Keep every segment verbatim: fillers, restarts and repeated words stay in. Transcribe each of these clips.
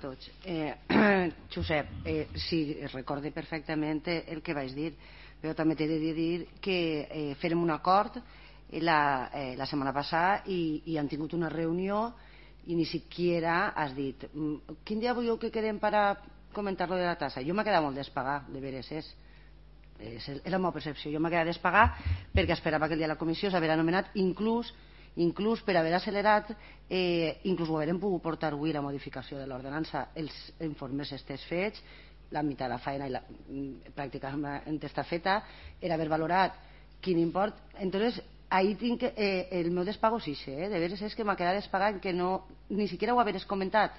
Tots. Eh, Josep, eh, sí, recorde perfectament el que vaig dir, però també t'he de dir que eh, fèrem un acord la, eh, la setmana passada i, i han tingut una reunió i ni siquiera has dit quin dia voleu que quedem per a comentar lo de la tassa. Jo m'ha quedat molt despagar, de veres és. És la meva percepció. Jo m'ha quedat despagar perquè esperava que el dia de la comissió s'hagués anomenat inclús inclús per haver accelerat, eh, inclús ho haurem pogut portar avui la modificació de l'ordenança, els informes estés fets, la meitat de la feina i la, pràcticament està feta, era haver valorat quin import. Entonces, ahí tinc eh, el meu despago sí, eh? De veres és que m'ha quedat despagat que no, ni siquiera ho haveres comentat.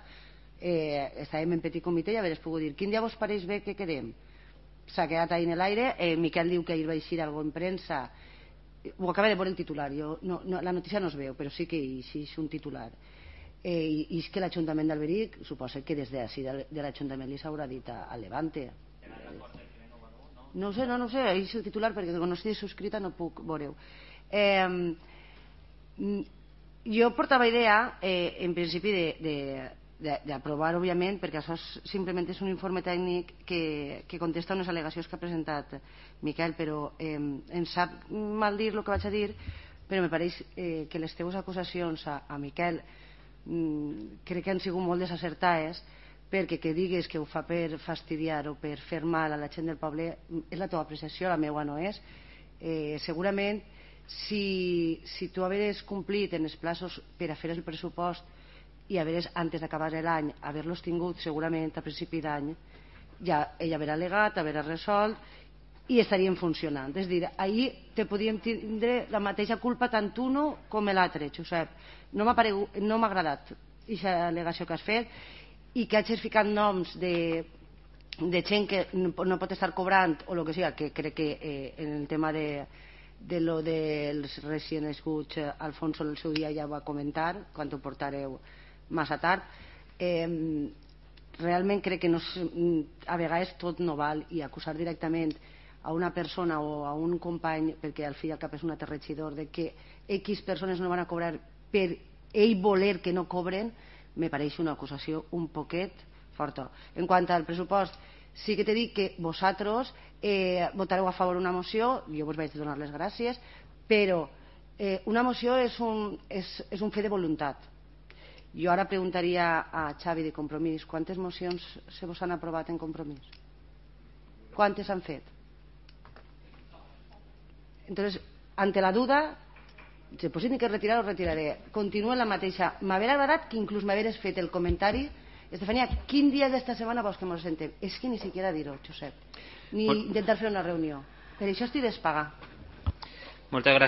Eh, estàvem en petit comitè i haveres pogut dir quin dia vos pareix bé que quedem. S'ha quedat ahí en l'aire. eh, Miquel diu que ahir va eixir algo en premsa, ho acaba de veure el titular, jo, no, no, la notícia no es veu, però sí que és un titular. Eh, i, I és que l'Ajuntament d'Alberic, suposa que des de, de, de l'Ajuntament li s'haurà dit a, a Levante. No ho sé, no, no ho sé, és el titular perquè quan no estigui subscrita no puc veure-ho. Eh, jo portava idea, eh, en principi, de, de d'aprovar, òbviament, perquè això és, simplement és un informe tècnic que, que contesta unes al·legacions que ha presentat Miquel, però eh, em sap mal dir el que vaig a dir, però me pareix eh, que les teves acusacions a, a Miquel mm, crec que han sigut molt desacertades, perquè que digues que ho fa per fastidiar o per fer mal a la gent del poble és la teva apreciació, la meva no és. Eh, segurament si, si tu hagués complit en els plaços per a fer el pressupost i haver, antes d'acabar l'any, haver-los tingut segurament a principi d'any, ja ell haurà al·legat, haurà resolt i estarien funcionant. És a dir, ahir te podíem tindre la mateixa culpa tant uno com l'altre, Josep. No m'ha no m'ha agradat aquesta al·legació que has fet i que hagis ficat noms de, de gent que no, no pot estar cobrant o el que sigui, que crec que eh, en el tema de de lo dels recient nascuts Alfonso en el seu dia ja va comentar quan ho portareu massa tard. Eh, realment crec que no, a vegades tot no val i acusar directament a una persona o a un company, perquè al fi i al cap és un altre regidor, de que X persones no van a cobrar per ell voler que no cobren, me pareix una acusació un poquet forta. En quant al pressupost, sí que t'he dit que vosaltres eh, votareu a favor una moció, jo vos vaig donar les gràcies, però eh, una moció és un, és, és un fe de voluntat. Jo ara preguntaria a Xavi de Compromís quantes mocions se vos han aprovat en Compromís? Quantes han fet? Entonces, ante la duda, si pues ni que retirar, ho retiraré. Continuo en la mateixa. M'haver agradat que inclús m'haveres fet el comentari Estefania, quin dia d'esta setmana vols que ens sentem? És que ni siquiera dir-ho, Josep. Ni intentar fer una reunió. Per això estic despagar. Moltes gràcies.